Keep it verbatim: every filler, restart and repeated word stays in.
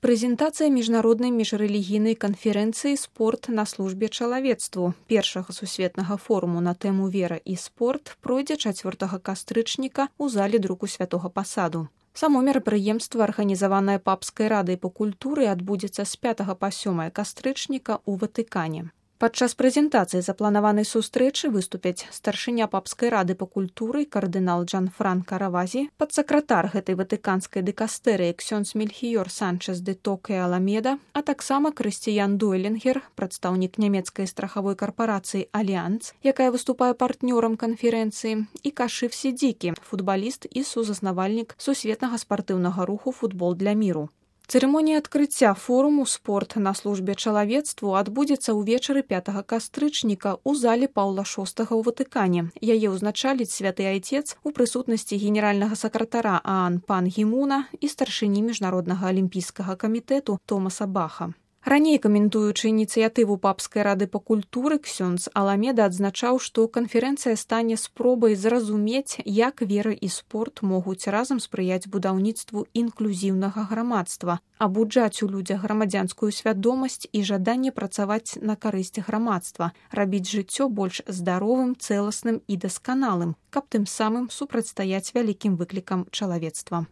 Прэзентацыя міжнароднай міжрэлігійнай канферэнцыі «Спорт на службе чалавецтву» першага сусветнага форуму на тэму «Вера і спорт» пройдзе чацвёртага кастрычніка ў зале друку святога пасаду. Само мерапрыемства, арганізаванае папскай радай па культуры, адбудзецца з пятага па сёмае кастрычніка ў Ватыкане. Падчас прэзентацыі запланаванай сустрэчы выступяць старшыня папскай рады па культуры кардынал Джанфранка Равазі, падсакратар гэтай ватыканскай дыкастэрыі ксёндз Мельхіёр Санчес де Токе Аламеда, а таксама Крыстіян Дойлінгер, прадстаўнік нямецкай страхавой карпорацыі Альянс, якая выступае партнёрам канферэнцыі, і Кашыф Сідзікі, футбаліст і сузаснавальнік сусветнага спартыўнага руху «Футбол для міру». Цырымонія адкрыцця форуму «Спорт на службе чалавецтву» адбудзецца ўвечары пятага кастрычніка ў зале Паўла шостага ў Ватыкане. Яе ўзначаліць святы айцец у прысутнасці генеральнага сакратара ААН пан Гімуна і старшыні міжнароднага алімпійскага камітэту Томаса Баха. Раней, каментуючы ініцыятыву папскай рады па культуры, ксёндз Аламеда адзначаў, што канферэнцыя стане спробай зразумець, як вера і спорт могуць разам спрыяць будаўніцтву інклюзіўнага грамадства, абуджаць у людзях грамадзянскую свядомасць і жаданне працаваць на карысць грамадства, рабіць жыццё больш здаровым, цэласным і дасканалым, каб тым самым супрацьстаяць вялікім выклікам чалавецтва.